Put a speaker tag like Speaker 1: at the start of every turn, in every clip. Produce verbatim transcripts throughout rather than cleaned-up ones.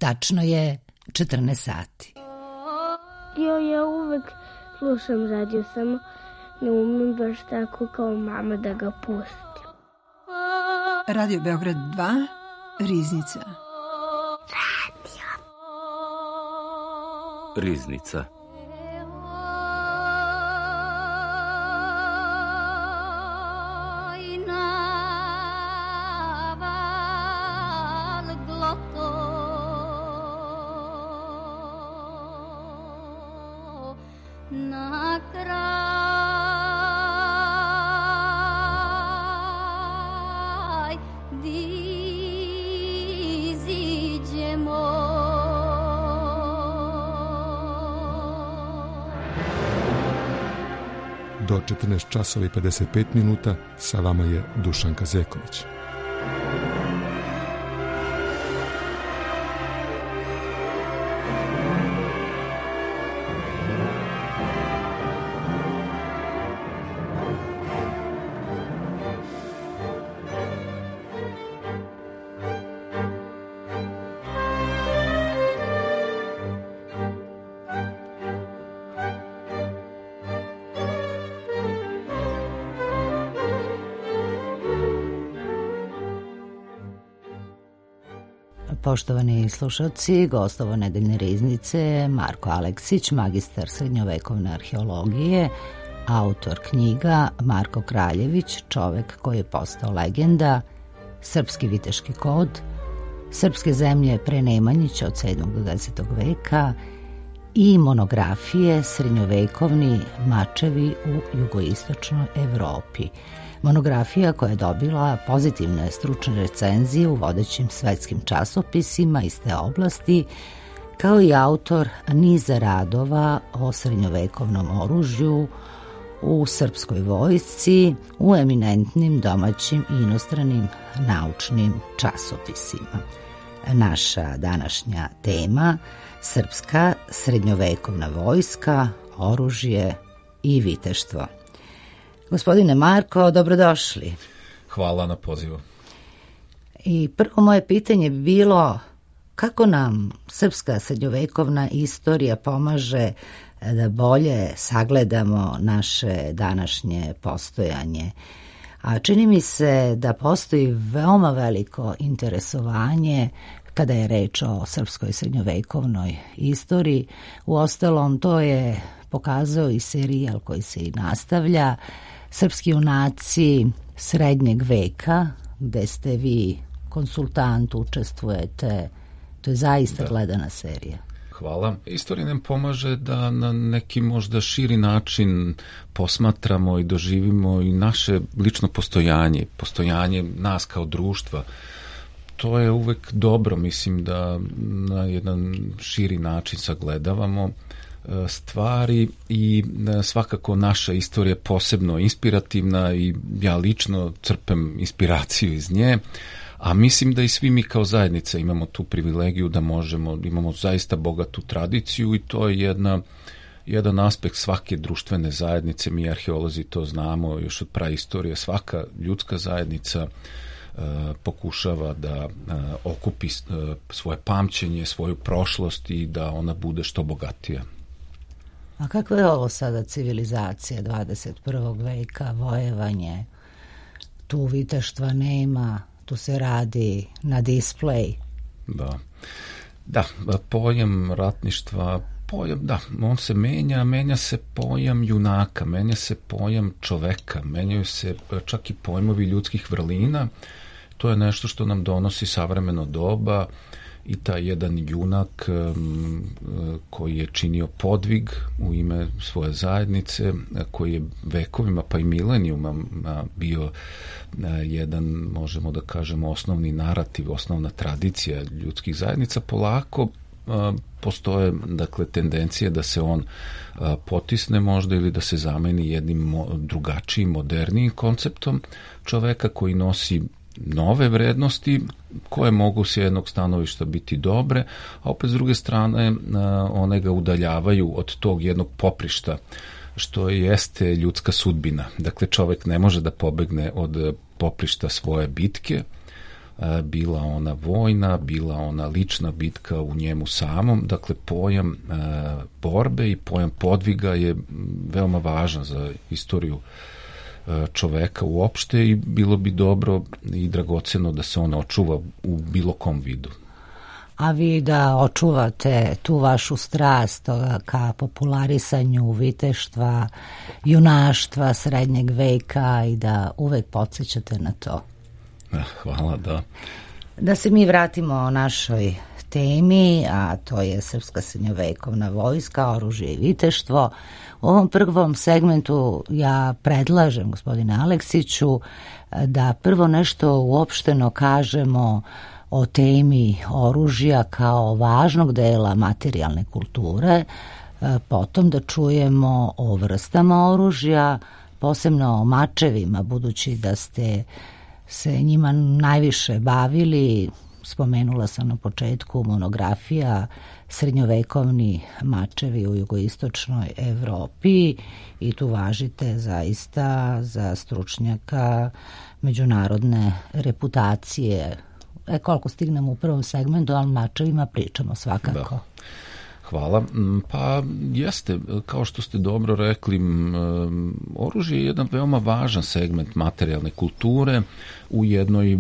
Speaker 1: Tačno je četrnaest sati.
Speaker 2: Jo, ja uvek slušam radio, samo ne umem baš tako kao mama da ga pustim.
Speaker 3: Radio Beograd dva, Riznica.
Speaker 2: Radio.
Speaker 4: Riznica.
Speaker 5: Do četrnaest časova i pedeset pet minuta sa vama je Dušan Kazeković.
Speaker 1: Poštovani slušalci, gostovo nedeljne riznice Marko Aleksić, magistar srednjovekovne arheologije, autor knjiga Marko Kraljević, čovek koji je postao legenda, Srpski viteški kod, Srpske zemlje pre Nemanjića od sedmog do desetog veka i monografije Srednjovekovni mačevi u jugoistočnoj Evropi. Monografija koja je dobila pozitivne stručne recenzije u vodećim svetskim časopisima iz te oblasti, kao i autor niza radova o srednjovekovnom oružju u srpskoj vojsci u eminentnim domaćim i inostranim naučnim časopisima. Naša današnja tema: srpska srednjovekovna vojska, oružje i viteštvo. Gospodine Marko, dobrodošli.
Speaker 6: Hvala na pozivu.
Speaker 1: I prvo moje pitanje bi bilo: kako nam srpska srednjovekovna istorija pomaže da bolje sagledamo naše današnje postojanje? A čini mi se da postoji veoma veliko interesovanje kada je reč o srpskoj srednjovekovnoj istoriji. Uostalom, to je pokazao i serijal koji se i nastavlja, Srpski junaci srednjeg veka, gde ste vi konsultant, učestvujete. To je zaista da. Gledana serija.
Speaker 6: Hvala. Istorija nam pomaže da na neki možda širi način posmatramo i doživimo i naše lično postojanje, postojanje nas kao društva. To je uvek dobro, mislim da na jedan širi način sagledavamo stvari i svakako naša istorija je posebno inspirativna i ja lično crpem inspiraciju iz nje, a mislim da i svi mi kao zajednica imamo tu privilegiju da možemo, imamo zaista bogatu tradiciju i to je jedna, jedan aspekt svake društvene zajednice. Mi arheolozi to znamo još od praistorije. Svaka ljudska zajednica uh, pokušava da uh, okupi uh, svoje pamćenje, svoju prošlost i da ona bude što bogatija.
Speaker 1: A kakva je ovo sada civilizacija dvadeset prvog veka, vojevanje? Tu viteštva nema, tu se radi na display.
Speaker 6: Da, da, pojam ratništva, pojam, da, on se menja, menja se pojam junaka, menja se pojam čoveka, menjaju se čak i pojmovi ljudskih vrlina. To je nešto što nam donosi savremeno doba i taj jedan junak um, koji je činio podvig u ime svoje zajednice, koji je vekovima pa i milenijuma bio uh, jedan, možemo da kažemo, osnovni narativ, osnovna tradicija ljudskih zajednica, polako uh, postoje, dakle, tendencije da se on uh, potisne možda ili da se zameni jednim mo- drugačijim, modernijim konceptom čoveka koji nosi nove vrednosti koje mogu s jednog stanovišta biti dobre, a opet s druge strane one ga udaljavaju od tog jednog poprišta što jeste ljudska sudbina. Dakle, čovek ne može da pobegne od poprišta svoje bitke, bila ona vojna, bila ona lična bitka u njemu samom. Dakle, pojam borbe i pojam podviga je veoma važan za istoriju čoveka uopšte i bilo bi dobro i dragoceno da se ona očuva u bilo kom vidu.
Speaker 1: A vi da očuvate tu vašu strast ka popularisanju viteštva, junaštva srednjeg veka i da uvek podsjećate na to.
Speaker 6: Hvala, da.
Speaker 1: Da se mi vratimo našoj temi, a to je srpska srednjovekovna vojska, oružje i viteštvo. U ovom prvom segmentu ja predlažem, gospodine Aleksiću, da prvo nešto uopšteno kažemo o temi oružja kao važnog dela materijalne kulture, potom da čujemo o vrstama oružja, posebno o mačevima, budući da ste se njima najviše bavili. Spomenula sam na početku monografija srednjovekovni mačevi u jugoistočnoj Evropi i tu važite zaista za stručnjaka međunarodne reputacije. E, koliko stignemo u prvom segmentu, ali mačevima pričamo svakako.
Speaker 6: Da. Hvala. Pa jeste, kao što ste dobro rekli, oružje je jedan veoma važan segment materijalne kulture u jednoj,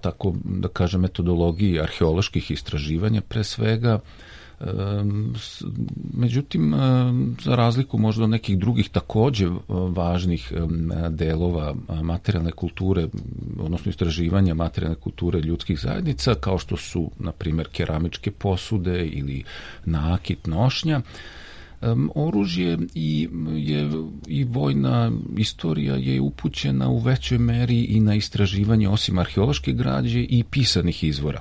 Speaker 6: tako da kažem, metodologiji arheoloških istraživanja pre svega. Međutim, za razliku možda od nekih drugih takođe važnih delova materijalne kulture, odnosno istraživanja materijalne kulture ljudskih zajednica, kao što su, na primjer, keramičke posude ili nakit, nošnja, oružje i, je, i vojna istorija je upućena u većoj meri i na istraživanje, osim arheološke građe, i pisanih izvora.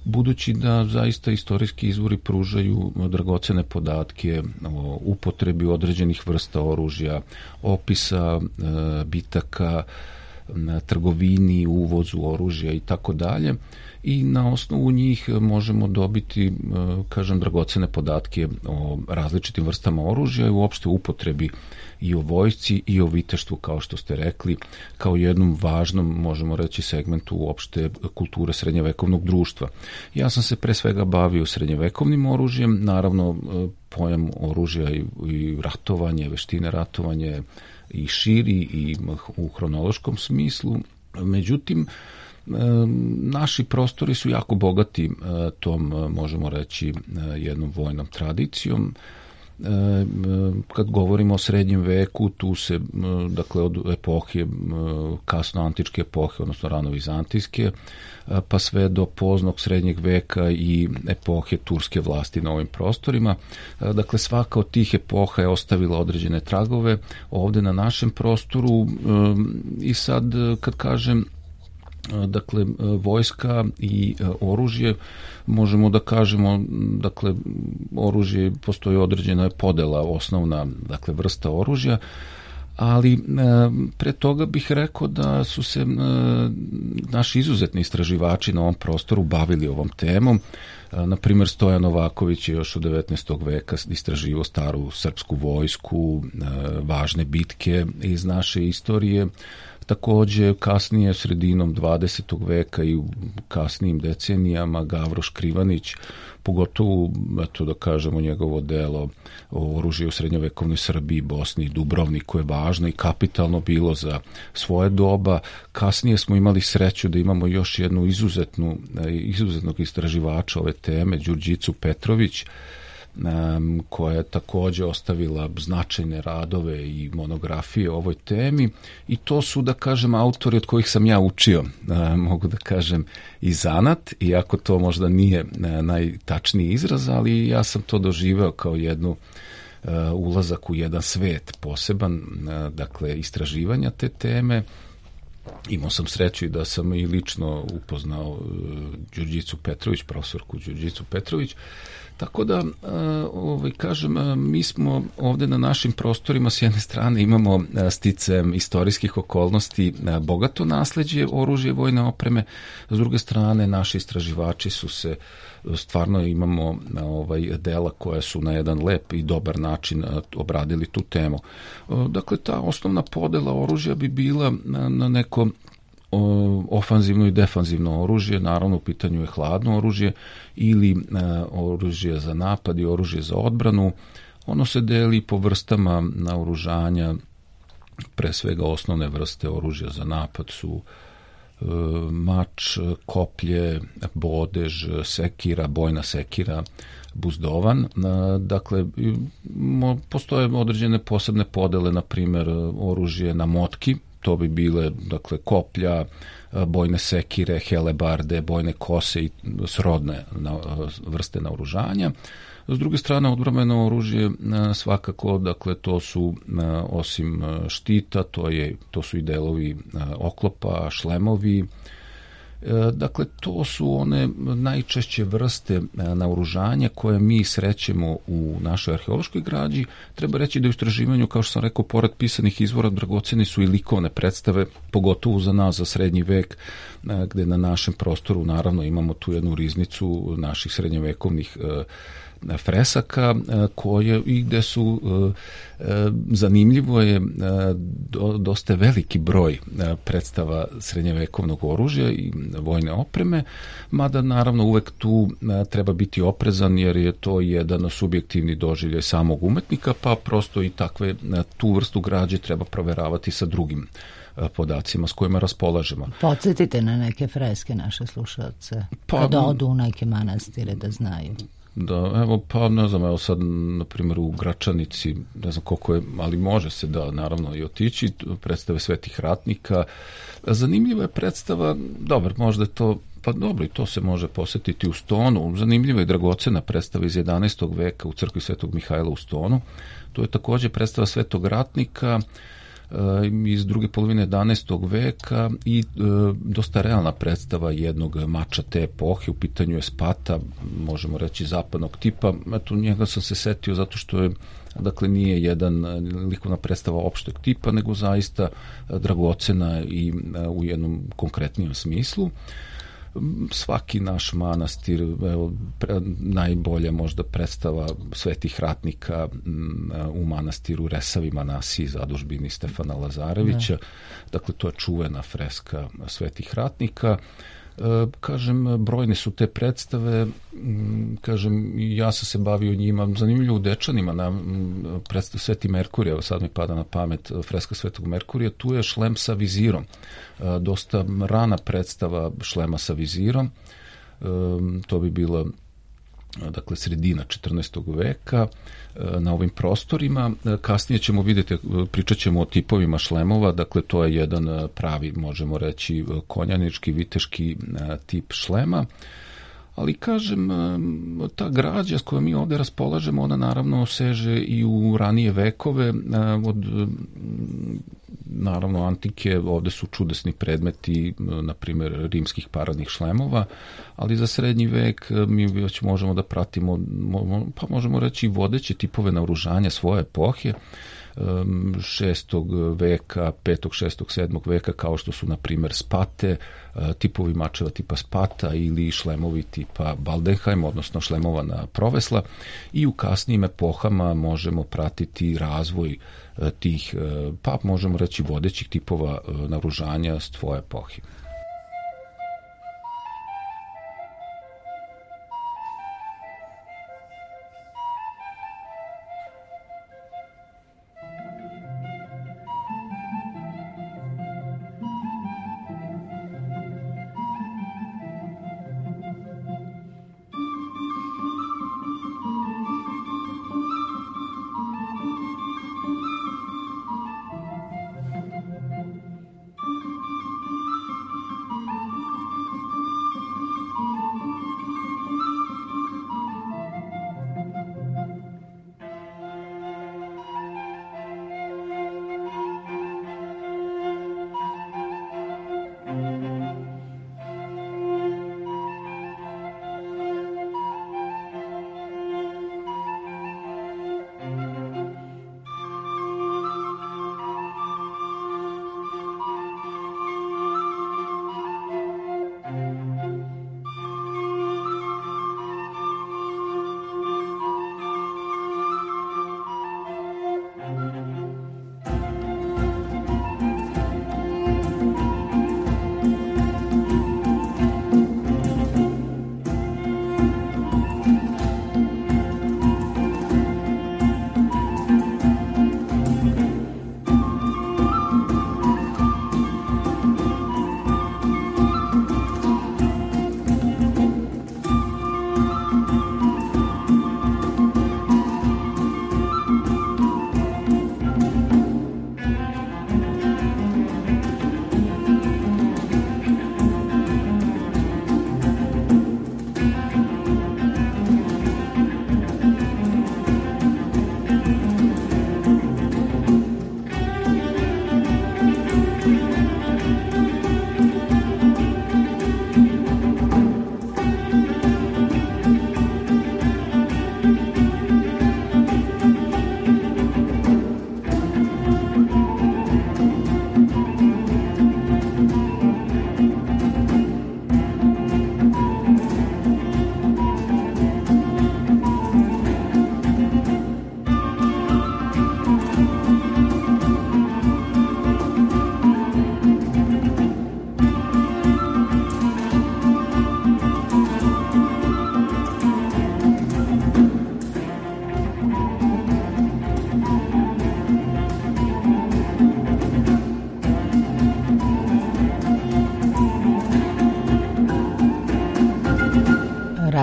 Speaker 6: Budući da zaista istorijski izvori pružaju dragocene podatke o upotrebi određenih vrsta oružja, opisa e, bitaka, na trgovini, uvozu oružja i tako dalje, i na osnovu njih možemo dobiti, kažem, dragocene podatke o različitim vrstama oružja i uopšte upotrebi i o vojsci i o viteštvu, kao što ste rekli, kao jednom važnom, možemo reći, segmentu uopšte kulture srednjevekovnog društva. Ja sam se pre svega bavio srednjevekovnim oružjem, naravno pojam oružja i, i ratovanje, veštine ratovanje i širi i u hronološkom smislu. Međutim, naši prostori su jako bogati tom, možemo reći, jednom vojnom tradicijom. Kad govorimo o srednjem veku, tu se, dakle, od epohe, kasno antičke epohe, odnosno rano vizantijske, pa sve do poznog srednjeg veka i epohe turske vlasti na ovim prostorima. Dakle, svaka od tih epoha je ostavila određene tragove ovde na našem prostoru i sad, kad kažem, dakle, vojska i oružje, možemo da kažemo, dakle, oružje, postoji određena podela, osnovna, dakle, vrsta oružja, ali pre toga bih rekao da su se naši izuzetni istraživači na ovom prostoru bavili ovom temom. Na primjer, Stojan Novaković je još u devetnaestog veka istraživao staru srpsku vojsku, važne bitke iz naše istorije. Takođe, kasnije, sredinom dvadesetog veka i u kasnijim decenijama, Gavro Škrivanić, pogotovo, eto da kažemo, njegovo delo o oružju u srednjovekovnoj Srbiji, Bosni i Dubrovniku je važno i kapitalno bilo za svoje doba. Kasnije smo imali sreću da imamo još jednu izuzetnu, izuzetnog istraživača ove teme, Đurđicu Petrović, koja je takođe ostavila značajne radove i monografije o ovoj temi, i to su, da kažem, autori od kojih sam ja učio, mogu da kažem, i zanat, iako to možda nije najtačniji izraz, ali ja sam to doživeo kao jednu ulazak u jedan svet poseban, dakle, istraživanja te teme. Imao sam sreću i da sam i lično upoznao Đurđicu Petrović, profesorku Đurđicu Petrović. Tako da, ovaj, kažem, mi smo ovde na našim prostorima, s jedne strane imamo sticajem istorijskih okolnosti bogato nasleđe oružje, vojne opreme, s druge strane naši istraživači su se, stvarno imamo ovaj, dela koja su na jedan lep i dobar način obradili tu temu. Dakle, ta osnovna podela oružja bi bila na neko ofanzivno i defanzivno oružje, naravno u pitanju je hladno oružje ili oružje za napad i oružje za odbranu. Ono se deli po vrstama naoružanja, pre svega osnovne vrste oružja za napad su mač, koplje, bodež, sekira, bojna sekira, buzdovan. Dakle, postoje određene posebne podele, na primjer oružje na motki, to bi bile dakle koplja, bojne sekire, helebarde, bojne kose i srodne vrste naoružanja. S druge strane, odbrambeno oružje svakako, dakle, to su osim štita, to, je, to su i delovi oklopa, šlemovi. Dakle, to su one najčešće vrste naoružanja koje mi srećemo u našoj arheološkoj građi. Treba reći da u istraživanju, kao što sam rekao, pored pisanih izvora, dragoceni su i likovne predstave, pogotovo za nas, za srednji vek, gde na našem prostoru, naravno, imamo tu jednu riznicu naših srednjevekovnih fresaka koje i gde su zanimljivo je dosta veliki broj predstava srednjevekovnog oružja i vojne opreme, mada naravno uvek tu treba biti oprezan jer je to jedan subjektivni doživljaj samog umetnika, pa prosto i takve tu vrstu građe treba proveravati sa drugim podacima s kojima raspolažemo.
Speaker 1: Podsjetite na neke freske naše slušalce, pa, kada odu u neke manastire da znaju.
Speaker 6: Da, evo, pa ne znam, evo sad, na primjer, u Gračanici, ne znam koliko je, ali može se da, naravno, i otići, predstave svetih ratnika. Zanimljiva je predstava, dobro, možda je to, pa dobro, i to se može posjetiti u Stonu, zanimljiva je dragocena predstava iz jedanaestog veka u crkvi Svetog Mihajla u Stonu. To je također predstava svetog ratnika iz druge polovine jedanaestog veka i e, dosta realna predstava jednog mača te epohe. U pitanju je Spata, možemo reći zapadnog tipa. Eto, njega sam se setio zato što je, dakle, nije jedan likovna predstava opšteg tipa, nego zaista dragocena i u jednom konkretnijem smislu. Svaki naš manastir, evo, pre, najbolja možda predstava svetih ratnika m, u manastiru Resavi Manasiji, zadužbini Stefana Lazarevića. Ne. Dakle, to je čuvena freska svetih ratnika. E, kažem, brojne su te predstave, m, kažem, ja sam se bavio njima, zanimljivo u Dečanima, na predstav Sveti Merkurije, evo sad mi pada na pamet freska Svetog Merkurija, tu je šlem sa vizirom. Dosta rana predstava šlema sa vizirom, to bi bila, dakle, sredina četrnaestog veka na ovim prostorima. Kasnije ćemo vidjeti, pričat ćemo o tipovima šlemova, dakle, to je jedan pravi, možemo reći, konjanički, viteški tip šlema. Ali, kažem, ta građa s kojom mi ovdje raspolažemo, ona naravno seže i u ranije vekove, od naravno antike, ovdje su čudesni predmeti, na primjer, rimskih paradnih šlemova, ali za srednji vek mi već možemo da pratimo, pa možemo reći, vodeće tipove naoružanja svoje epohe, šestog veka, petog, šestog, sedmog veka, kao što su, na primjer, spate, tipovi mačeva tipa Spata ili šlemovi tipa Baldenheim, odnosno šlemovana provesla, i u kasnijim epohama možemo pratiti razvoj tih, pa možemo reći, vodećih tipova naoružanja s tvoje epohe.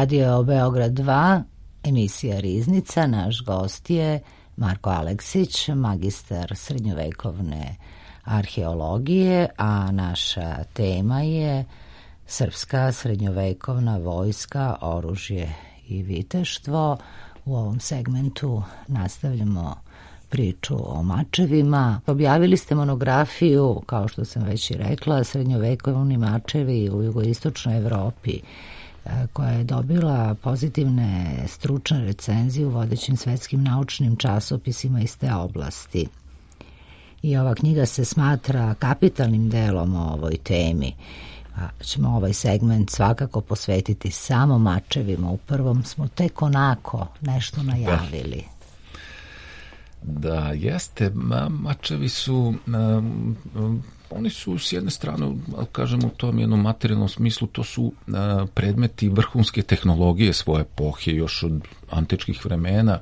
Speaker 1: Radio Beograd dva, emisija Riznica. Naš gost je Marko Aleksić, magistar srednjovekovne arheologije, a naša tema je srpska srednjovekovna vojska, oružje i viteštvo. U ovom segmentu nastavljamo priču o mačevima. Objavili ste monografiju, kao što sam već i rekla, srednjovekovni mačevi u jugoistočnoj Evropi, koja je dobila pozitivne stručne recenzije u vodećim svetskim naučnim časopisima iz te oblasti. I ova knjiga se smatra kapitalnim delom o ovoj temi. A ćemo ovaj segment svakako posvetiti samo mačevima. U prvom smo tek onako nešto najavili.
Speaker 6: Da, da jeste. Ma, mačevi su... Um, um, oni su s jedne strane, kažemo u tom jednom materijalnom smislu, to su uh, predmeti vrhunske tehnologije svoje epohe, još od antičkih vremena.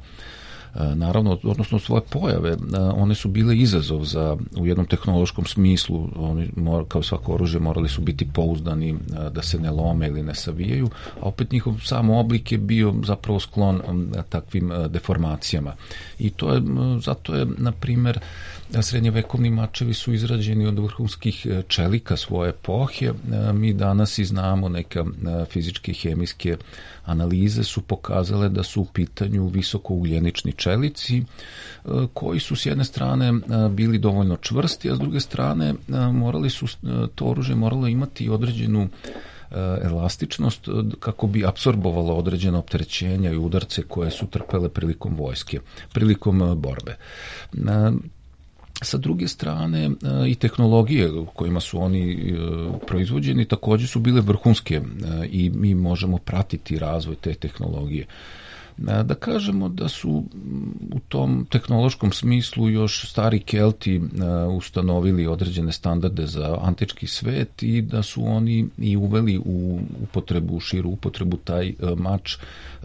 Speaker 6: Naravno, odnosno svoje pojave, one su bile izazov za, u jednom tehnološkom smislu, oni mora, kao svako oružje morali su biti pouzdani, da se ne lome ili ne savijaju, a opet njihov sam oblik je bio zapravo sklon takvim deformacijama. I to je, zato je, na primjer, srednjevekovni mačevi su izrađeni od vrhunskih čelika svoje epohe. Mi danas i znamo neka fizičke i hemijske analize su pokazale da su u pitanju visokougljenični čelici koji su s jedne strane bili dovoljno čvrsti, a s druge strane morali su, to oružje moralo imati određenu elastičnost kako bi apsorbovalo određena opterećenja i udarce koje su trpele prilikom vojske, prilikom borbe. Sa druge strane, i tehnologije kojima su oni proizvođeni također su bile vrhunske i mi možemo pratiti razvoj te tehnologije. Da kažemo da su u tom tehnološkom smislu još stari Kelti ustanovili određene standarde za antički svet i da su oni i uveli u upotrebu, širu upotrebu taj mač,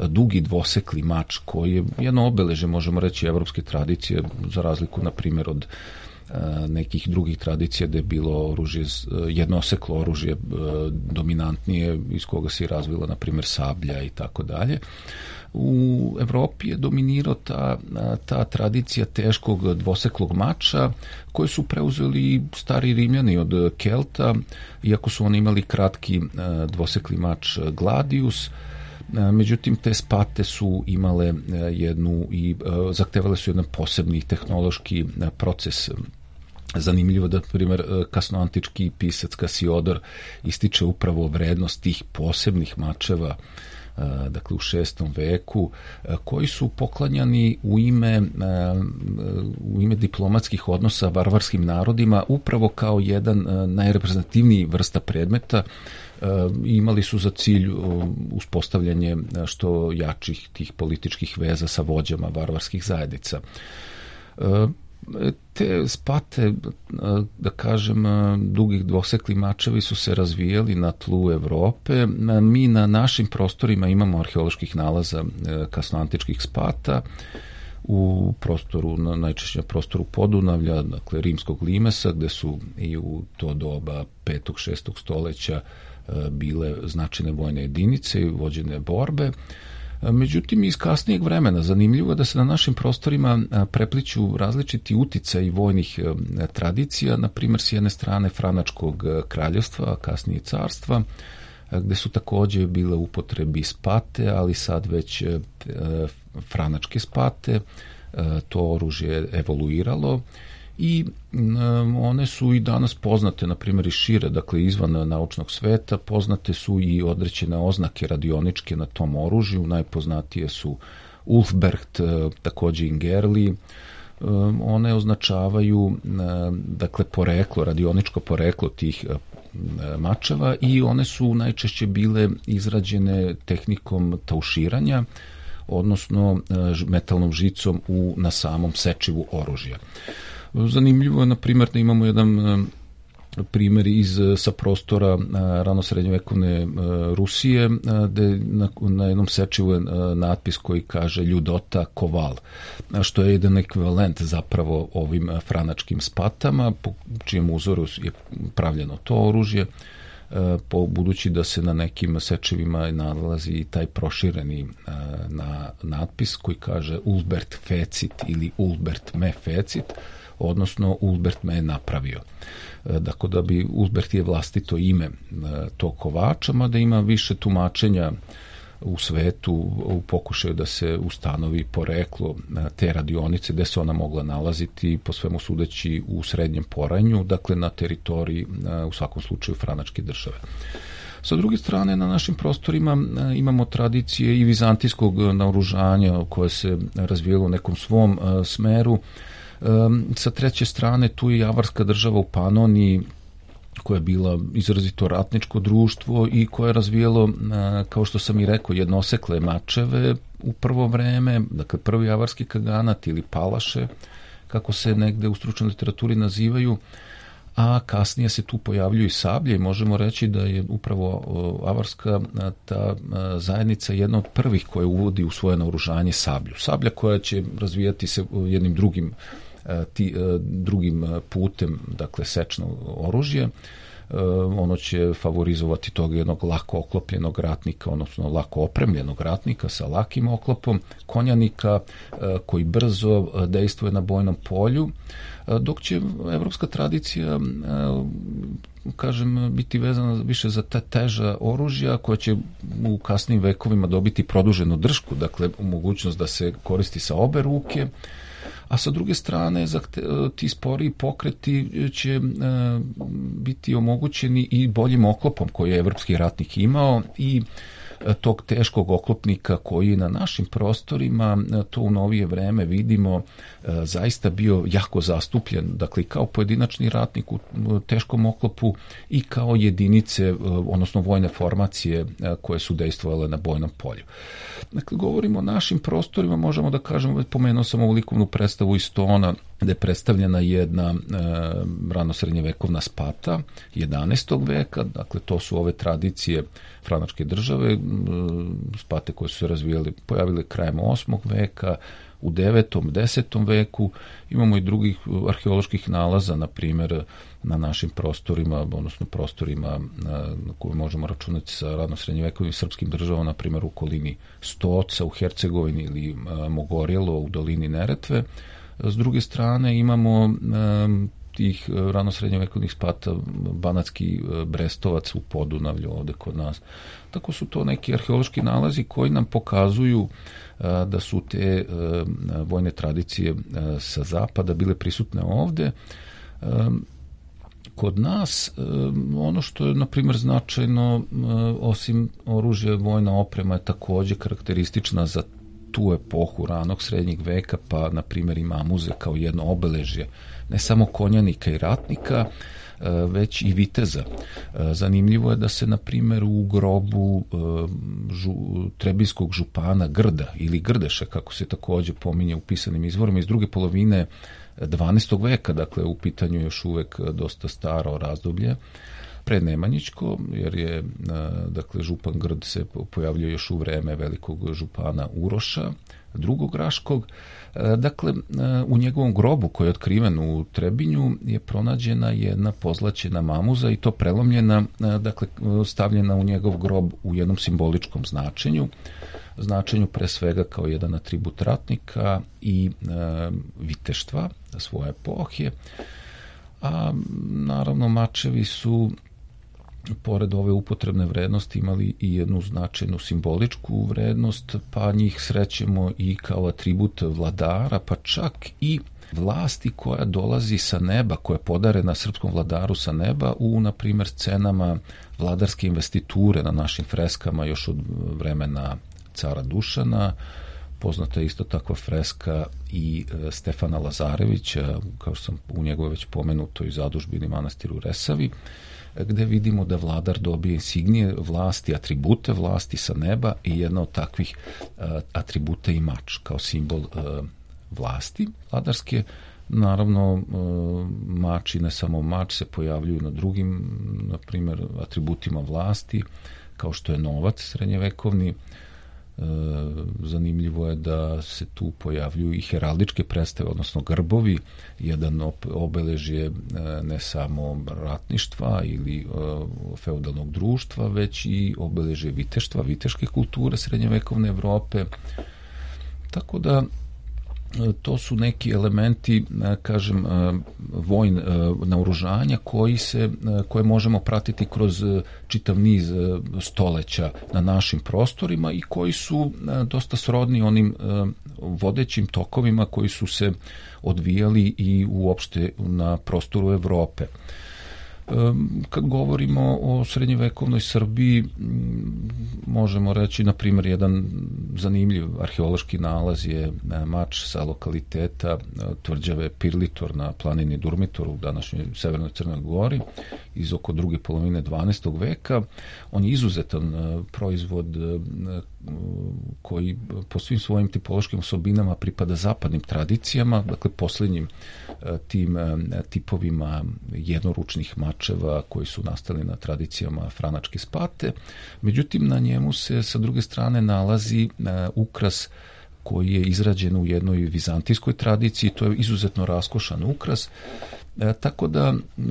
Speaker 6: dugi dvosekli mač koji je jedno obeležje, možemo reći, evropske tradicije, za razliku na primjer od nekih drugih tradicija gde je bilo oružje, jednoseklo oružje dominantnije, iz koga se razvila na primjer sablja i tako dalje. U Evropi je dominirao ta, ta tradicija teškog dvoseklog mača koje su preuzeli stari Rimljani od Kelta, iako su oni imali kratki dvosekli mač Gladius. Međutim, te spate su imale jednu i zahtevale su jedan posebni tehnološki proces. Zanimljivo da, na primjer, kasnoantički pisac Kasiodor ističe upravo vrednost tih posebnih mačeva, dakle u šestom veku, koji su poklanjani u ime, u ime diplomatskih odnosa varvarskim narodima upravo kao jedan najreprezentativniji vrsta predmeta. Imali su za cilj uspostavljanje što jačih tih političkih veza sa vođama varvarskih zajednica. Te spate, da kažem, dugih dvosekli mačevi su se razvijali na tlu Evrope. Mi na našim prostorima imamo arheoloških nalaza kasnoantičkih spata u prostoru, najčešće prostoru Podunavlja, dakle rimskog Limesa, gde su i u to doba petog šestog stoleća bile značajne vojne jedinice i vođene borbe. Međutim, iz kasnijeg vremena zanimljivo je da se na našim prostorima prepliću različiti uticaji vojnih tradicija, na primjer s jedne strane Franačkog kraljevstva, kasnije carstva, gde su također bile u upotrebi spate, ali sad već franačke spate. To oružje je evoluiralo i one su i danas poznate, na primjer i šire, dakle izvan naučnog sveta, poznate su i određene oznake radioničke na tom oružju. Najpoznatije su Ulfberht, također Ingerli. One označavaju, dakle, poreklo, radioničko poreklo tih mačeva i one su najčešće bile izrađene tehnikom tauširanja, odnosno metalnom žicom u, na samom sečivu oružja. Zanimljivo je, na primjer, da imamo jedan primjer iz, sa prostora rano srednjovekovne Rusije, gde na, na jednom sečivu je natpis koji kaže Ljudota Koval, što je jedan ekvivalent zapravo ovim franačkim spatama, po čijem uzoru je pravljeno to oružje. po, budući da se na nekim sečevima nalazi taj prošireni na, natpis koji kaže Ulbert fecit ili Ulbert me fecit, odnosno Ulbert me je napravio. Dakle, da bi Ulbert je vlastito ime tog kovača, mada ima više tumačenja u svetu u pokušaju da se ustanovi poreklo te radionice, gde se ona mogla nalaziti, po svemu sudeći u Srednjem Poranju, dakle na teritoriji u svakom slučaju Franačke države. Sa druge strane, na našim prostorima imamo tradicije i vizantijskog naoružanja koje se razvijelo u nekom svom smeru. Sa treće strane, tu je Javarska država u Panoniji, koja je bila izrazito ratničko društvo i koje je razvijelo, kao što sam i rekao, jednosekle mačeve u prvo vreme, dakle prvi javarski kaganat ili palaše, kako se negde u stručnoj literaturi nazivaju, a kasnije se tu pojavljuju i sablje i možemo reći da je upravo avarska ta zajednica jedna od prvih koja uvodi u svoje naoružanje sablju. Sablja koja će razvijati se jednim drugim Ti, drugim putem, dakle sečno oružje, ono će favorizovati tog jednog lako oklopljenog ratnika, odnosno lako opremljenog ratnika sa lakim oklopom, konjanika koji brzo dejstvuje na bojnom polju, dok će evropska tradicija, kažem, biti vezana više za te teža oružja koja će u kasnim vekovima dobiti produženu držku, dakle mogućnost da se koristi sa obe ruke, a sa druge strane ti sporiji pokreti će biti omogućeni i boljim oklopom koji je evropski ratnik imao i tog teškog oklopnika koji na našim prostorima, to u novije vreme vidimo, zaista bio jako zastupljen, dakle kao pojedinačni ratnik u teškom oklopu i kao jedinice, odnosno vojne formacije koje su dejstvovale na bojnom polju. Dakle, govorimo o našim prostorima, možemo da kažemo, pomenuo sam ovu likovnu predstavu iz Stona, gde je predstavljena jedna e, ranosrednjevekovna spata jedanaestog veka, dakle to su ove tradicije Franačke države, e, spate koje su se razvijale, pojavile krajem osmog veka, u devetom, desetom veku. Imamo i drugih arheoloških nalaza, na primjer na našim prostorima, odnosno prostorima na, na koje možemo računati sa ranosrednjevekovnim srpskim državama, na primjer u okolini Stoca u Hercegovini ili a, Mogorjelo u dolini Neretve. S druge strane imamo um, tih ranosrednjovekovnih spata Banatski Brestovac u Podunavlju ovde kod nas. Tako su to neki arheološki nalazi koji nam pokazuju uh, da su te uh, vojne tradicije uh, sa zapada bile prisutne ovde. Um, Kod nas, ono što je, na primjer, značajno, osim oružja, vojna oprema je također karakteristična za tu epohu ranog srednjeg veka, pa, na primjer, i mamuze kao jedno obeležje, ne samo konjanika i ratnika, već i viteza. Zanimljivo je da se, na primjer, u grobu žu, trebinskog župana Grda ili Grdeša, kako se također pominje u pisanim izvorima, iz druge polovine dvanaestog veka, dakle u pitanju još uvek dosta staro razdoblje, prednemanjičko, jer je, dakle, župan Grd se pojavljuje još u vreme velikog župana Uroša, drugog Raškog. Dakle, u njegovom grobu koji je otkriven u Trebinju je pronađena jedna pozlaćena mamuza i to prelomljena, dakle, stavljena u njegov grob u jednom simboličkom značenju, značenju pre svega kao jedan atribut ratnika i e, viteštva svoje epohe, a naravno mačevi su pored ove upotrebne vrednosti imali i jednu značajnu simboličku vrednost, pa njih srećemo i kao atribut vladara, pa čak i vlasti koja dolazi sa neba, koja je podarena srpskom vladaru sa neba u, na primjer, scenama vladarske investiture na našim freskama još od vremena cara Dušana. Poznata je isto takva freska i e, Stefana Lazarevića, kao sam u njegove već pomenutoj zadužbini manastiru Resavi, gde vidimo da vladar dobije insignije vlasti, atribute vlasti sa neba i jedna od takvih e, atributa i mač, kao simbol e, vlasti vladarske. Naravno, e, mač i ne samo mač se pojavljuju na drugim, na primjer, atributima vlasti, kao što je novac srednjevekovni, Zanimljivo je da se tu pojavljuju i heraldičke predstave, odnosno grbovi, jedan obeležje ne samo ratništva ili feudalnog društva, već i obeležje viteštva, viteške kulture srednjovekovne Evrope. Tako da to su neki elementi, kažem, vojn naoružanja koji se, koje možemo pratiti kroz čitav niz stoleća na našim prostorima i koji su dosta srodni onim vodećim tokovima koji su se odvijali i uopšte na prostoru Evrope. Kad govorimo o srednjovekovnoj Srbiji, možemo reći, na primjer, jedan zanimljiv arheološki nalaz je mač sa lokaliteta tvrđave Pirlitor na planini Durmitor u današnjoj Severnoj Crnoj Gori iz oko druge polovine dvanaestog veka. On je izuzetan proizvod koji po svim svojim tipološkim osobinama pripada zapadnim tradicijama, dakle posljednjim tim tipovima jednoručnih mačeva koji su nastali na tradicijama franačke spate. Međutim, na njemu se sa druge strane nalazi ukras koji je izrađen u jednoj vizantijskoj tradiciji. To je izuzetno raskošan ukras. E, tako da e,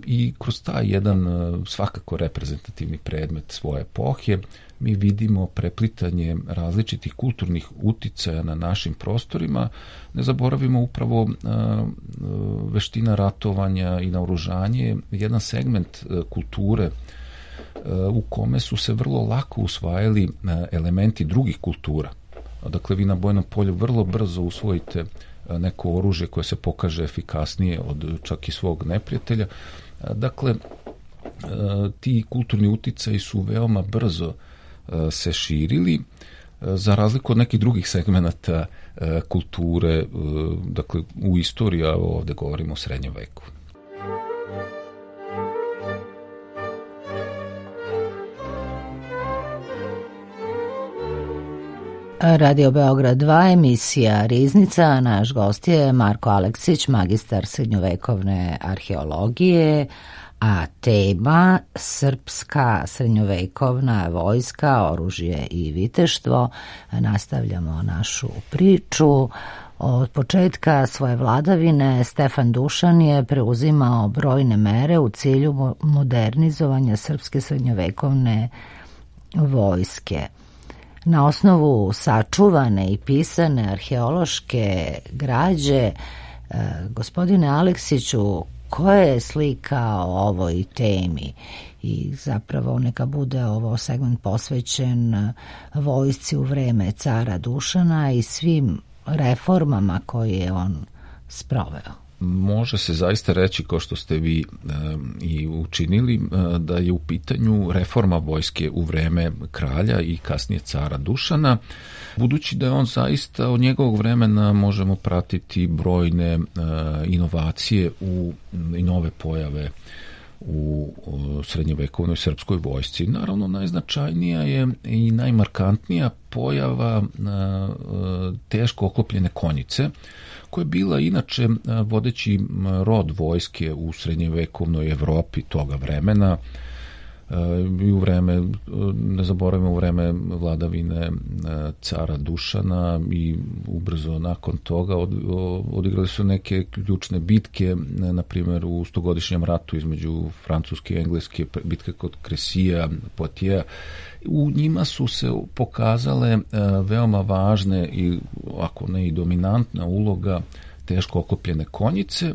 Speaker 6: i kroz taj jedan e, svakako reprezentativni predmet svoje epohe mi vidimo preplitanje različitih kulturnih uticaja na našim prostorima. Ne zaboravimo upravo e, veština ratovanja i naoružanje, jedan segment e, kulture e, u kome su se vrlo lako usvajali e, elementi drugih kultura. Dakle, vi na bojnom polju vrlo brzo usvojite neko oružje koje se pokaže efikasnije od čak i svog neprijatelja. Dakle, ti kulturni uticaji su veoma brzo se širili, za razliku od nekih drugih segmenata kulture, dakle, u istoriji, a ovdje govorimo o srednjem veku.
Speaker 1: Radio Beograd dva, emisija Riznica. Naš gost je Marko Aleksić, magistar srednjovekovne arheologije, a tema srpska srednjovekovna vojska, oružje i viteštvo. Nastavljamo našu priču. Od početka svoje vladavine Stefan Dušan je preuzimao brojne mere u cilju modernizovanja srpske srednjovekovne vojske. Na osnovu sačuvane i pisane arheološke građe, gospodine Aleksiću, koja je slika o ovoj temi? I zapravo neka bude ovo segment posvećen vojsci u vreme cara Dušana i svim reformama koje je on sproveo.
Speaker 6: Može se zaista reći, kao što ste vi e, i učinili, e, da je u pitanju reforma vojske u vreme kralja i kasnije cara Dušana, budući da je on zaista od njegovog vremena možemo pratiti brojne e, inovacije u, i nove pojave u o, srednjovekovnoj srpskoj vojsci. Naravno, najznačajnija je i najmarkantnija pojava e, teško oklopljene konjice, koja je bila inače vodeći rod vojske u srednjevekovnoj Evropi toga vremena i u vreme, ne zaboravimo, u vreme vladavine cara Dušana i ubrzo nakon toga od, odigrali su neke ključne bitke, na primjer u stogodišnjem ratu između Francuske i Engleske, bitke kod Kresija, Poitiers. U njima su se pokazale veoma važne i, ako ne i dominantna uloga teško oklopljene konjice,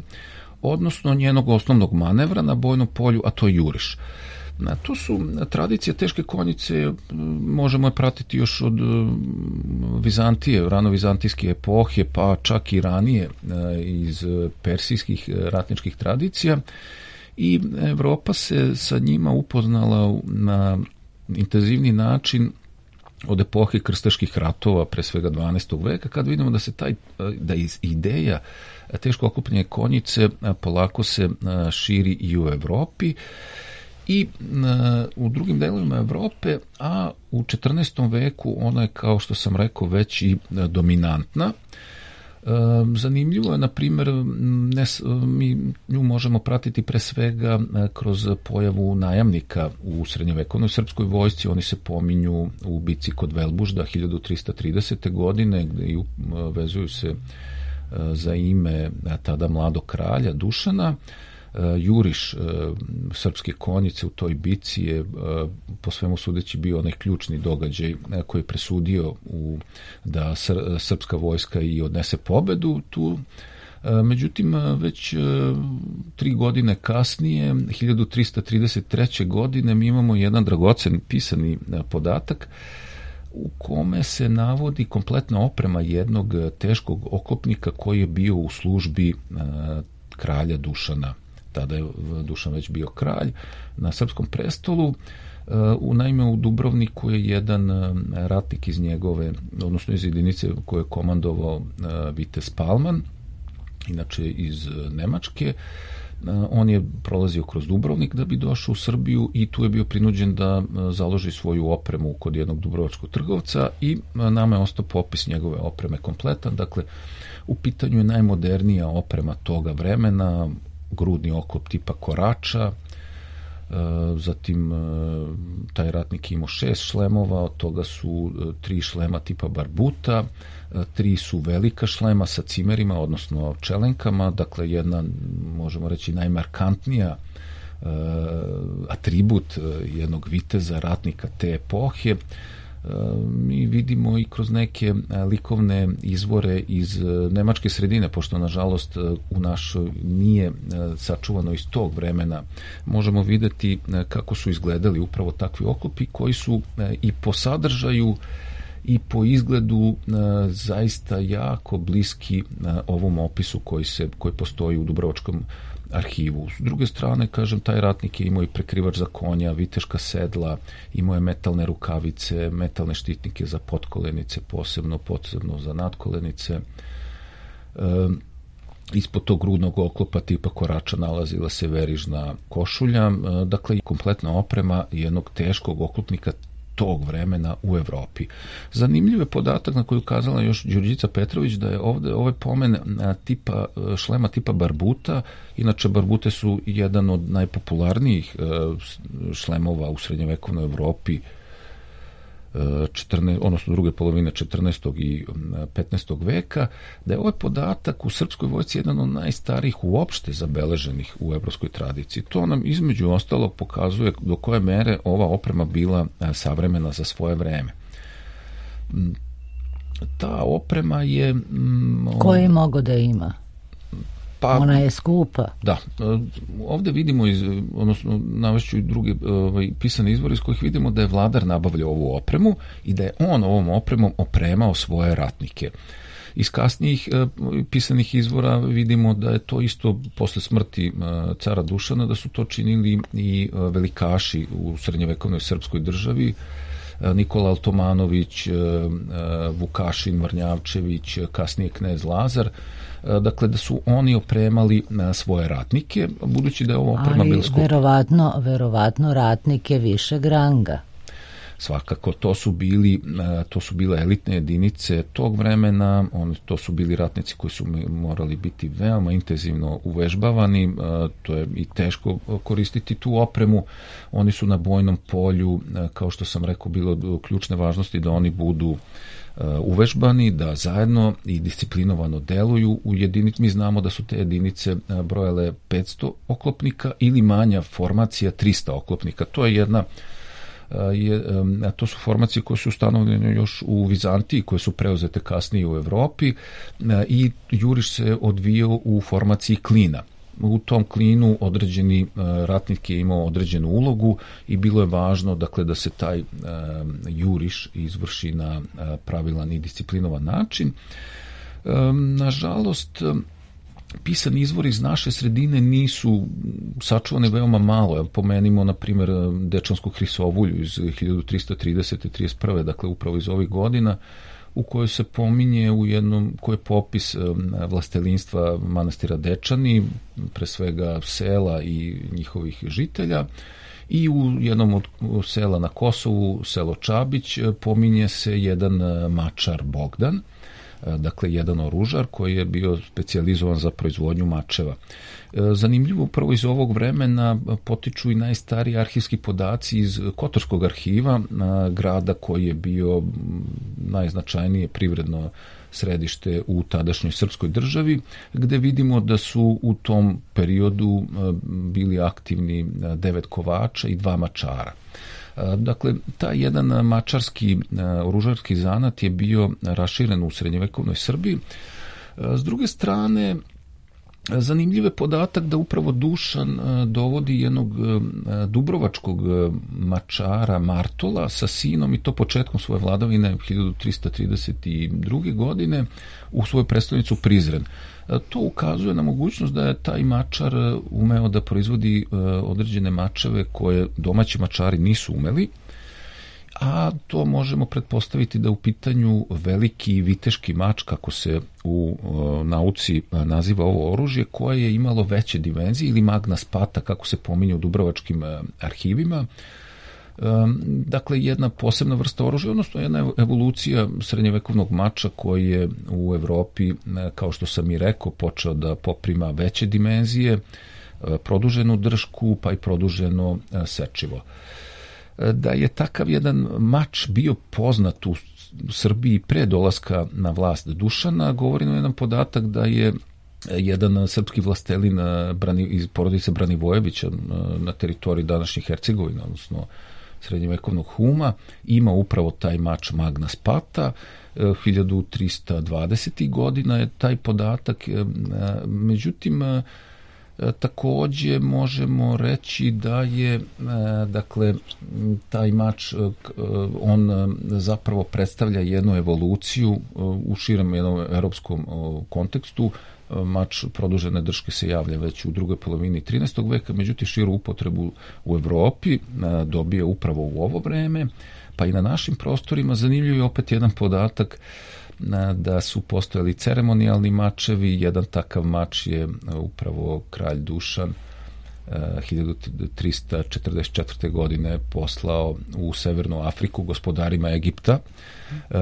Speaker 6: odnosno njenog osnovnog manevra na bojnom polju, a to je juriš. To su tradicije teške konjice, možemo je pratiti još od Vizantije, rano-vizantijske epohe, pa čak i ranije iz persijskih ratničkih tradicija, i Evropa se sa njima upoznala na intenzivni način od epohe krstaških ratova, pre svega dvanaestog veka, kad vidimo da se taj, da iz ideja teško oklopljene konjice polako se širi i u Evropi i u drugim delovima Evrope, a u četrnaestom veku ona je, kao što sam rekao, već i dominantna. Zanimljivo je, na primjer, ne, mi nju možemo pratiti pre svega kroz pojavu najamnika u srednjovekovnoj srpskoj vojsci. Oni se pominju u bici kod Velbužda hiljadu trista tridesete. godine, gde vezuju se za ime tada mladog kralja Dušana. Juriš srpske konjice u toj bici je po svemu sudeći bio onaj ključni događaj koji je presudio u, da srpska vojska i odnese pobedu tu. Međutim, već tri godine kasnije, hiljadu trista trideset treće. godine, mi imamo jedan dragocen pisani podatak u kome se navodi kompletna oprema jednog teškog oklopnika koji je bio u službi kralja Dušana. Tada je Dušan već bio kralj na srpskom prestolu. U naime u Dubrovniku je jedan ratnik iz njegove, odnosno iz jedinice koje je komandovao vitez Palman, inače iz Nemačke. On je prolazio kroz Dubrovnik da bi došao u Srbiju i tu je bio prinuđen da založi svoju opremu kod jednog dubrovačkog trgovca i nama je ostao popis njegove opreme kompletan. Dakle, u pitanju je najmodernija oprema toga vremena, grudni oklop tipa Korača, zatim taj ratnik imao šest šlemova, od toga su tri šlema tipa Barbuta, tri su velika šlema sa cimerima, odnosno čelenkama, dakle jedna, možemo reći, najmarkantnija atribut jednog viteza, ratnika te epohe. Mi vidimo i kroz neke likovne izvore iz nemačke sredine, pošto nažalost u našoj nije sačuvano iz tog vremena, možemo videti kako su izgledali upravo takvi oklopi koji su i po sadržaju i po izgledu zaista jako bliski ovom opisu koji, se, koji postoji u Dubrovačkom arhivu. S druge strane, kažem, taj ratnik je imao i prekrivač za konja, viteška sedla, imao je metalne rukavice, metalne štitnike za potkolenice, posebno, posebno za nadkolenice. E, ispod tog grudnog oklopa tipa Korača nalazila se verižna košulja, e, dakle i kompletna oprema jednog teškog oklopnika tog vremena u Evropi. Zanimljiv je podatak na koji ukazala još Đurđica Petrović, da je ovde ovaj pomen tipa, šlema tipa Barbuta, inače Barbute su jedan od najpopularnijih šlemova u srednjovekovnoj Evropi, četrnaestog odnosno druge polovine četrnaestog i petnaestog veka, da je ovaj podatak u srpskoj vojsci jedan od najstarijih uopšte zabeleženih u evropskoj tradiciji. To nam između ostalog pokazuje do koje mere ova oprema bila savremena za svoje vreme. Ta oprema je...
Speaker 1: Koje mogo da ima? Pa, ona je skupa.
Speaker 6: Da. Ovde vidimo, iz, odnosno navešću i druge ovaj, pisane izvore iz kojih vidimo da je vladar nabavljao ovu opremu i da je on ovom opremom opremao svoje ratnike. Iz kasnijih eh, pisanih izvora vidimo da je to isto posle smrti eh, cara Dušana, da su to činili i eh, velikaši u srednjovekovnoj srpskoj državi, Nikola Altomanović, Vukašin, Vrnjavčević, kasnije knez Lazar, dakle da su oni opremali svoje ratnike, budući da je ovo oprema bila skupa.
Speaker 1: Ali verovatno, verovatno ratnike višeg ranga.
Speaker 6: Svakako, to su bili, to su bile elitne jedinice tog vremena, oni, to su bili ratnici koji su morali biti veoma intenzivno uvežbavani, to je i teško koristiti tu opremu, oni su na bojnom polju, kao što sam rekao, bilo od ključne važnosti da oni budu uvežbani, da zajedno i disciplinovano deluju u jedinici. Mi znamo da su te jedinice brojale petsto oklopnika ili manja formacija tristo oklopnika. To je jedna Je, to su formacije koje su ustanovljene još u Vizantiji, koje su preuzete kasnije u Evropi, i juriš se odvijao u formaciji klina. U tom klinu određeni ratnik je imao određenu ulogu i bilo je važno, dakle, da se taj juriš izvrši na pravilan i disciplinovan način. Nažalost, pisani izvori iz naše sredine nisu sačuvane veoma malo. Pomenimo, na primjer, Dečansku Hrisovulju iz hiljadu trista tridesete do trideset prve. Dakle, upravo iz ovih godina, u kojoj se pominje u jednom, koji je popis vlastelinstva manastira Dečani, pre svega sela i njihovih žitelja, i u jednom od sela na Kosovu, selo Čabić, pominje se jedan mačar Bogdan. dakle jedan oružar koji je bio specijalizovan za proizvodnju mačeva. Zanimljivo, upravo iz ovog vremena potiču i najstariji arhivski podaci iz Kotorskog arhiva, grada koji je bio najznačajnije privredno središte u tadašnjoj srpskoj državi, gde vidimo da su u tom periodu bili aktivni devet kovača i dva mačara. Dakle, taj jedan mačarski oružarski zanat je bio raširen u srednjevekovnoj Srbiji. S druge strane, zanimljiv je podatak da upravo Dušan dovodi jednog dubrovačkog mačara Martola sa sinom, i to početkom svoje vladavine hiljadu trista trideset druge. godine u svoju prestonicu Prizren. To ukazuje na mogućnost da je taj mačar umeo da proizvodi određene mačeve koje domaći mačari nisu umeli, a to možemo pretpostaviti da u pitanju veliki viteški mač, kako se u e, nauci naziva ovo oružje, koje je imalo veće dimenzije, ili magna spata, kako se pominje u dubrovačkim e, arhivima. E, dakle, jedna posebna vrsta oružja, odnosno jedna evolucija srednjevekovnog mača koji je u Evropi, e, kao što sam i rekao, počeo da poprima veće dimenzije, e, produženu dršku, pa i produženo e, sečivo. Da je takav jedan mač bio poznat u Srbiji pre dolaska na vlast Dušana, govori nam jedan podatak da je jedan srpski vlastelin iz porodice Branivojevića na teritoriji današnjih Hercegovine, odnosno srednjevekovnog Huma, ima upravo taj mač Magna Spata. hiljadu trista dvadesetih godina je taj podatak. Međutim, takođe možemo reći da je dakle taj mač, on zapravo predstavlja jednu evoluciju u širem jednom europskom kontekstu. Mač produžene drške se javlja već u drugoj polovini trinaestog veka, međutim širu upotrebu u Evropi dobije upravo u ovo vreme, pa i na našim prostorima. Zanimljiv je opet jedan podatak da su postojali ceremonijalni mačevi. Jedan takav mač je upravo kralj Dušan hiljadu trista četrdeset četvrte. godine poslao u Severnu Afriku gospodarima Egipta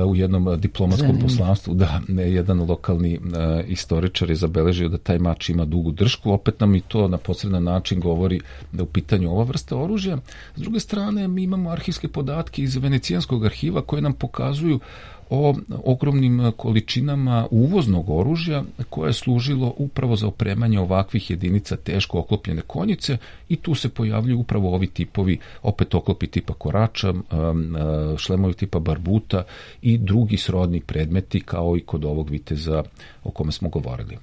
Speaker 6: u jednom diplomatskom Zanimljiv. poslanstvu. Da, ne, jedan lokalni uh, istoričar je zabeležio da taj mač ima dugu dršku. Opet nam i to na posredan način govori da u pitanju ova vrsta oružja. S druge strane, mi imamo arhivske podatke iz Venecijanskog arhiva koje nam pokazuju o ogromnim količinama uvoznog oružja koje je služilo upravo za opremanje ovakvih jedinica teško oklopljene konjice, i tu se pojavljuju upravo ovi tipovi, opet oklopi tipa korača, šlemovi tipa barbuta i drugi srodni predmeti, kao i kod ovog viteza o kome smo govorili.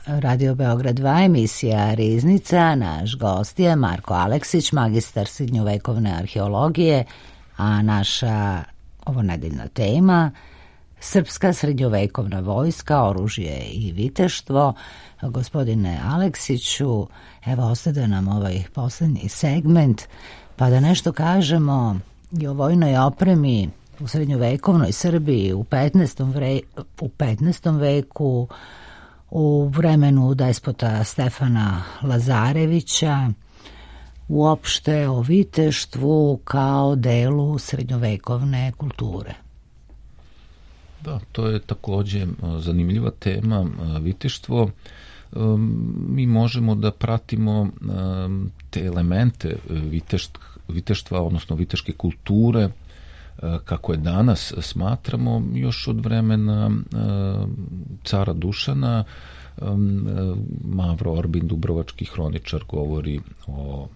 Speaker 1: Radio Beograd dva, emisija Riznica. Naš gost je Marko Aleksić, magistar srednjovekovne arheologije, a naša ovonedeljna tema srpska srednjovekovna vojska, oružje i viteštvo. Gospodine Aleksiću, evo ostade nam ovaj poslednji segment, pa da nešto kažemo i o vojnoj opremi u srednjovekovnoj Srbiji u petnaestom, vre, u petnaestom veku, u vremenu despota Stefana Lazarevića, uopšte o viteštvu kao delu srednjovekovne kulture.
Speaker 6: Da, to je takođe zanimljiva tema, viteštvo. Mi možemo da pratimo te elemente viteštva, odnosno viteške kulture, kako je danas smatramo, još od vremena cara Dušana. Mavro Orbin, dubrovački hroničar, govori o,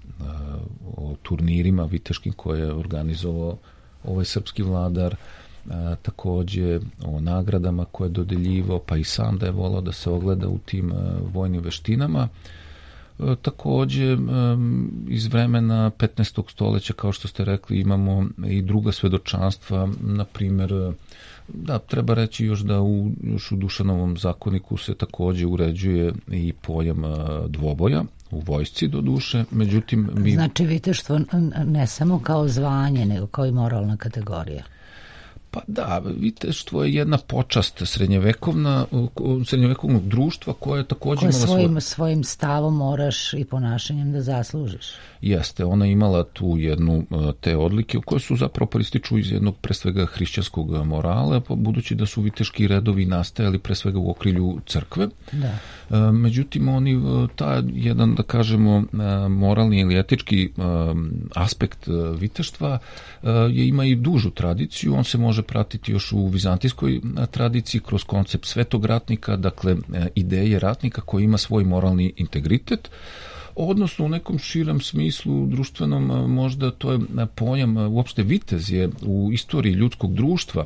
Speaker 6: o turnirima viteškim koje je organizovao ovaj srpski vladar, a, takođe o nagradama koje je dodeljivao, pa i sam da je volao da se ogleda u tim a, vojnim veštinama. A, takođe a, iz vremena petnaestog stoleća, kao što ste rekli, imamo i druga svedočanstva, na primjer, da, treba reći još da u, još u Dušanovom zakoniku se takođe uređuje i pojam a, dvoboja u vojsci do duše, međutim... Mi... Znači
Speaker 1: viteštvo ne samo kao zvanje, nego kao i moralna kategorija.
Speaker 6: Pa da, viteštvo je jedna počast srednjevekovna, srednjevekovnog društva koja je takođe
Speaker 1: koje
Speaker 6: imala
Speaker 1: svojim,
Speaker 6: svoj...
Speaker 1: svojim stavom moraš i ponašanjem da zaslužiš.
Speaker 6: Jeste, ona je imala tu jednu te odlike koje su zapravo proističu iz jednog pre svega hrišćanskog morala, budući da su viteški redovi nastajali pre svega u okrilju crkve.
Speaker 1: Da.
Speaker 6: Međutim, oni, ta jedan, da kažemo, moralni ili etički aspekt viteštva je, ima i dužu tradiciju. On se može pratiti još u vizantijskoj tradiciji kroz koncept svetog ratnika, dakle ideje ratnika koji ima svoj moralni integritet, odnosno u nekom širem smislu društvenom, možda to je pojam, uopšte vitez je u istoriji ljudskog društva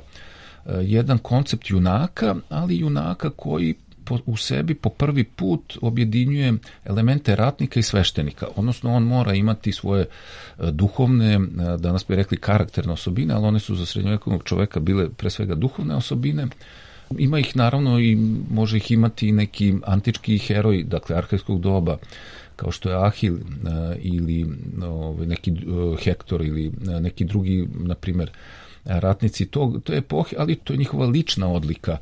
Speaker 6: jedan koncept junaka, ali junaka koji u sebi po prvi put objedinjuje elemente ratnika i sveštenika, odnosno on mora imati svoje duhovne, danas bi rekli karakterne osobine, ali one su za srednjovekovnog čoveka bile pre svega duhovne osobine. Ima ih naravno i može ih imati i neki antički heroj, dakle arhajskog doba, kao što je Ahil ili neki Hektor ili neki drugi, na primjer, ratnici tog, to je epohe, ali to je njihova lična odlika.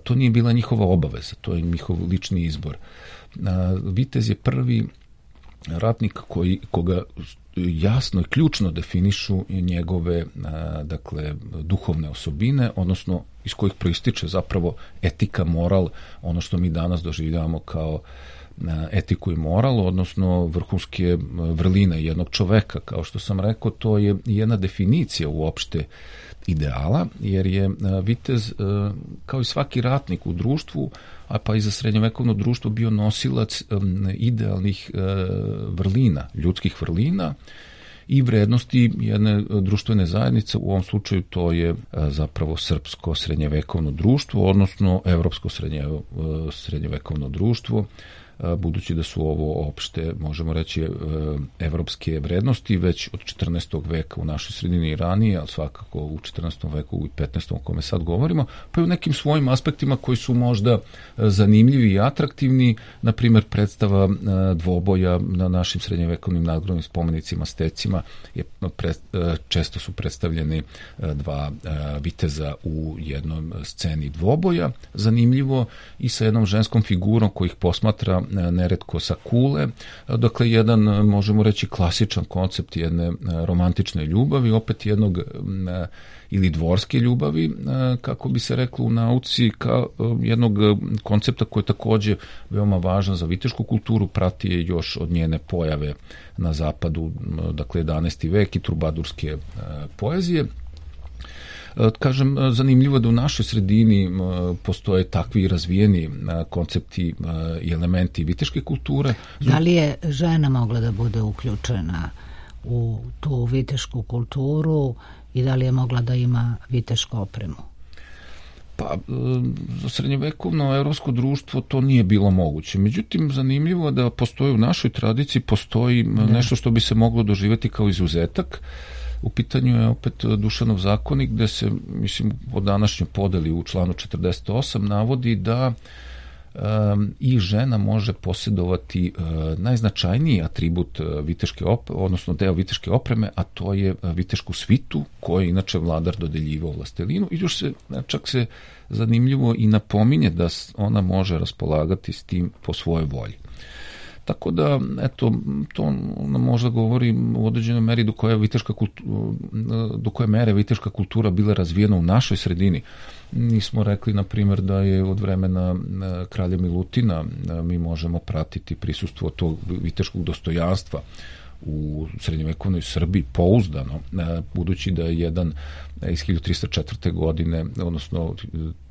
Speaker 6: To nije bila njihova obaveza, to je njihov lični izbor. Vitez je prvi ratnik koji, koga jasno i ključno definišu njegove, dakle, duhovne osobine, odnosno iz kojih proističe zapravo etika, moral, ono što mi danas doživljavamo kao etiku i moral, odnosno vrhunske vrline jednog čoveka. Kao što sam rekao, to je jedna definicija uopšte ideala, jer je vitez, kao i svaki ratnik u društvu, a pa i za srednjovekovno društvo, bio nosilac idealnih vrlina, ljudskih vrlina i vrednosti jedne društvene zajednice. U ovom slučaju to je zapravo srpsko srednjevekovno društvo, odnosno evropsko srednjevekovno društvo, budući da su ovo opšte, možemo reći, evropske vrednosti već od četrnaestog veka u našoj sredini i ranije, ali svakako u četrnaestom veku i petnaestom o kome sad govorimo, pa i u nekim svojim aspektima koji su možda zanimljivi i atraktivni, na primjer predstava dvoboja na našim srednjevekovnim nadgrobnim spomenicima, stecima, je pre, često su predstavljeni dva viteza u jednom sceni dvoboja, zanimljivo i sa jednom ženskom figurom koji ih posmatra neretko sa kule, dakle jedan, možemo reći, klasičan koncept jedne romantične ljubavi, opet jednog ili dvorske ljubavi, kako bi se reklo u nauci, kao jednog koncepta koji je takođe veoma važan za vitešku kulturu, prati je još od njene pojave na zapadu, dakle jedanaesti vek i trubadurske poezije. Kažem, zanimljivo da u našoj sredini postoje takvi razvijeni koncepti i elementi viteške kulture.
Speaker 1: Da li je žena mogla da bude uključena u tu vitešku kulturu i da li je mogla da ima vitešku opremu?
Speaker 6: Pa, za srednjovekovno evropsko društvo to nije bilo moguće. Međutim, zanimljivo je da postoji u našoj tradiciji, postoji da. nešto što bi se moglo doživjeti kao izuzetak. U pitanju je opet Dušanov zakonik, gde se, mislim, po današnjoj podeli u članu četrdeset osam navodi da um, i žena može posjedovati uh, najznačajniji atribut uh, viteške opreme, odnosno deo viteške opreme, a to je uh, vitešku svitu, koju je inače vladar dodeljivao vlastelinu, i još se, čak se zanimljivo i napominje da ona može raspolagati s tim po svojoj volji. Tako da, eto, to nam možda govori u određenoj meri do koje, viteška kultura, do koje mere viteška kultura bila razvijena u našoj sredini. Nismo rekli, na primjer, da je od vremena kralja Milutina mi možemo pratiti prisustvo tog viteškog dostojanstva u srednjovekovnoj Srbiji pouzdano, budući da je jedan iz hiljadu trista četvrte. godine, odnosno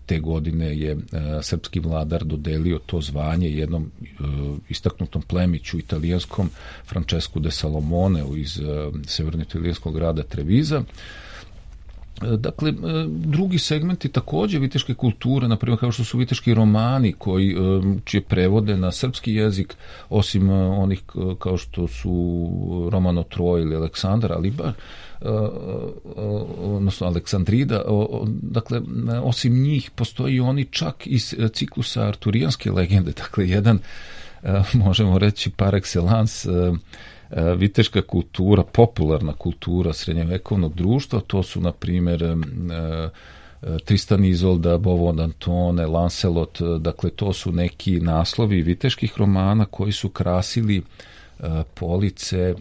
Speaker 6: te godine je uh, srpski vladar dodelio to zvanje jednom uh, istaknutom plemiću italijanskom, Francesku de Salomone iz uh, severno-italijanskog grada Treviza. Dakle, drugi segmenti takođe viteške kulture, na primjer kao što su viteški romani, koji, čije prevode na srpski jezik, osim onih kao što su Roman o Troji ili Aleksandar, ali ba, odnosno Aleksandrida, dakle, osim njih postoji oni čak iz ciklusa arturijanske legende, dakle, jedan, možemo reći par excellence, viteška kultura, popularna kultura srednjovekovnog društva, to su, na primjer, Tristan i Izolda, Bovon Antone, Lancelot, dakle, to su neki naslovi viteških romana koji su krasili police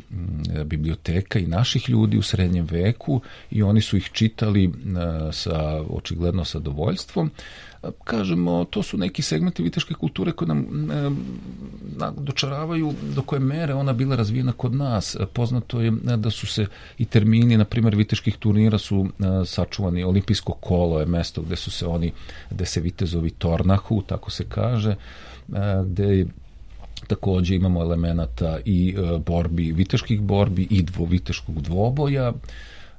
Speaker 6: biblioteka i naših ljudi u srednjem veku i oni su ih čitali sa, očigledno, sa zadovoljstvom. Kažemo, to su neki segmenti viteške kulture koji nam e, dočaravaju do koje mere ona bila razvijena kod nas. Poznato je da su se i termini, na primjer, viteških turnira su e, sačuvani. Olimpijsko kolo je mesto gde su se oni, gde se vitezovi tornahu, tako se kaže, e, gde takođe imamo elemenata i e, borbi, viteških borbi i dvo, viteškog dvoboja.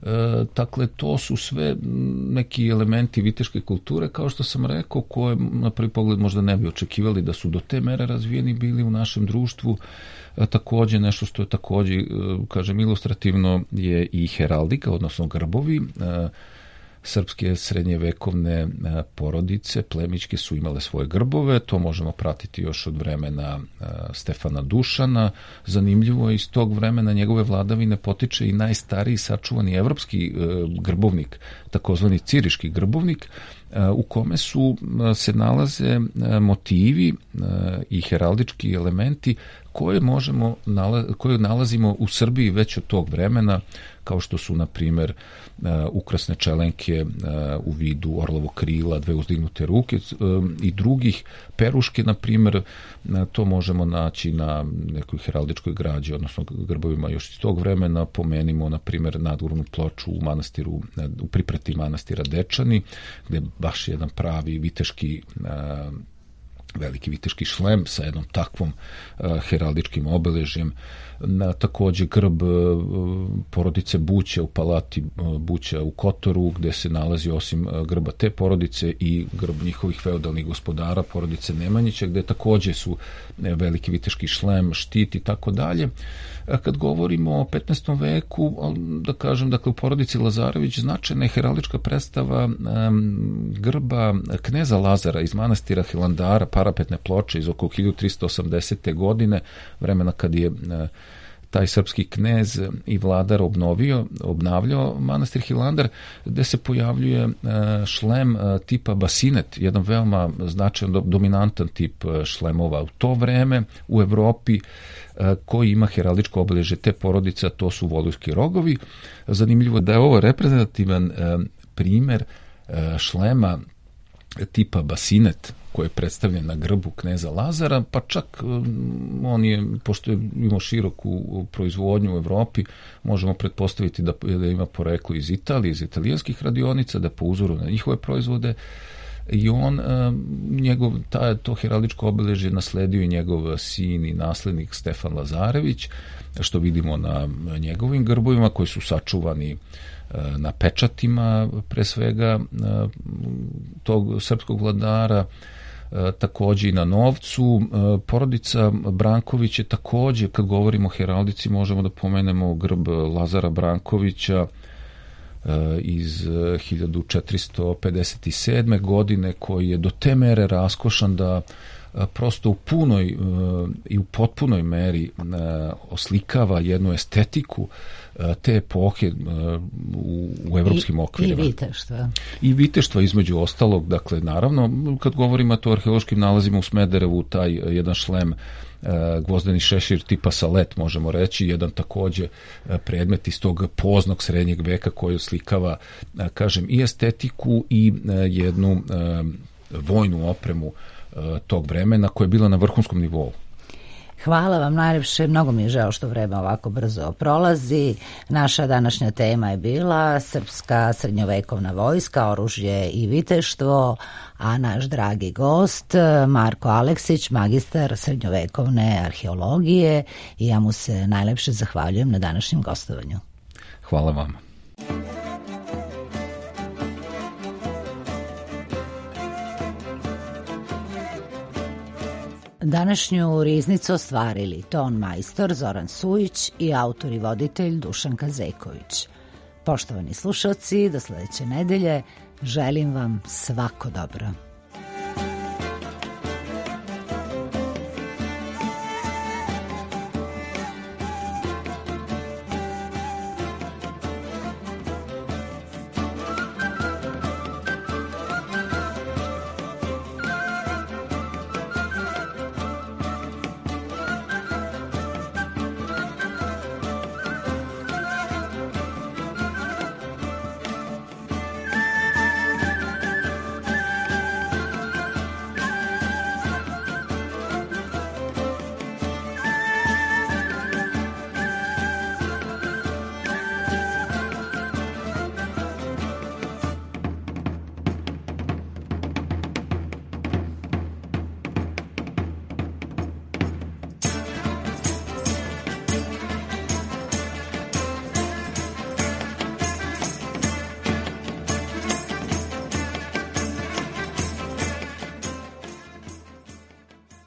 Speaker 6: E, dakle, to su sve neki elementi viteške kulture, kao što sam rekao, koje na prvi pogled možda ne bi očekivali da su do te mere razvijeni bili u našem društvu. E, takođe, nešto što je takođe, e, kažem, ilustrativno je i heraldika, odnosno grbovi. E, Srpske srednjevekovne porodice plemićke su imale svoje grbove, to možemo pratiti još od vremena Stefana Dušana. Zanimljivo je, iz tog vremena njegove vladavine potiče i najstariji sačuvani evropski grbovnik, takozvani ciriški grbovnik, u kome su se nalaze motivi i heraldički elementi koje možemo koje nalazimo u Srbiji već od tog vremena, kao što su, na primjer, ukrasne čelenke u vidu orlovog krila, dve uzdignute ruke i drugih, peruške, na primjer, to možemo naći na nekoj heraldičkoj građi, odnosno grbovima još iz tog vremena. Pomenimo, na primjer, nadgornu ploču u manastiru, u priprati manastira Dečani, gde baš jedan pravi viteški veliki viteški šlem sa jednom takvom uh, heraldičkim obeležjem. Na, takođe grb uh, porodice Buća u palati uh, Buća u Kotoru, gde se nalazi osim uh, grba te porodice i grb njihovih feudalnih gospodara, porodice Nemanjića, gde takođe su uh, veliki viteški šlem, štit i tako dalje. Kad govorimo o petnaestom veku, da kažem, dakle, u porodici Lazarević značajna je heraldička predstava um, grba kneza Lazara iz manastira Hilandara, parapetne ploče iz oko hiljadu trista osamdesete. godine, vremena kad je uh, taj srpski knez i vladar obnovio, obnavljao manastir Hilandar, gde se pojavljuje uh, šlem uh, tipa basinet, jedan veoma značajan, dominantan tip uh, šlemova u to vreme u Evropi, koji ima heraldičko obeležje te porodice, a to su volujski rogovi. Zanimljivo da je ovo reprezentativan primer šlema tipa basinet, koji je predstavljen na grbu kneza Lazara, pa čak on je, pošto je imao široku proizvodnju u Evropi, možemo pretpostaviti da, da ima poreklo iz Italije, iz italijanskih radionica, da po uzoru na njihove proizvode i on, njegov, ta, to heraldičko obeležje nasledio i njegov sin i naslednik Stefan Lazarević, što vidimo na njegovim grbovima koji su sačuvani na pečatima, pre svega tog srpskog vladara, takođe i na novcu. Porodica Branković je takođe, kad govorimo o heraldici, možemo da pomenemo grb Lazara Brankovića iz hiljadu četiristo pedeset sedme. godine, koji je do te mere raskošan da prosto u punoj i u potpunoj meri oslikava jednu estetiku te epohe u, u evropskim okvirima.
Speaker 1: I viteštva.
Speaker 6: I viteštva između ostalog, dakle, naravno, kad govorimo o arheološkim nalazima u Smederevu, taj jedan šlem, gvozdeni šešir tipa salet, možemo reći, jedan takođe predmet iz tog poznog srednjeg veka koji oslikava, kažem, i estetiku i jednu vojnu opremu tog vremena koja je bila na vrhunskom nivou.
Speaker 1: Hvala vam najljepše, mnogo mi je žao što vreme ovako brzo prolazi. Naša današnja tema je bila srpska srednjovekovna vojska, oružje i viteštvo, a naš dragi gost Marko Aleksić, magistar srednjovekovne arheologije, i ja mu se najlepše zahvaljujem na današnjem gostovanju.
Speaker 6: Hvala vama.
Speaker 1: Današnju riznicu ostvarili ton majstor Zoran Sujić i autor i voditelj Dušan Kazeković. Poštovani slušalci, do sledeće nedelje želim vam svako dobro.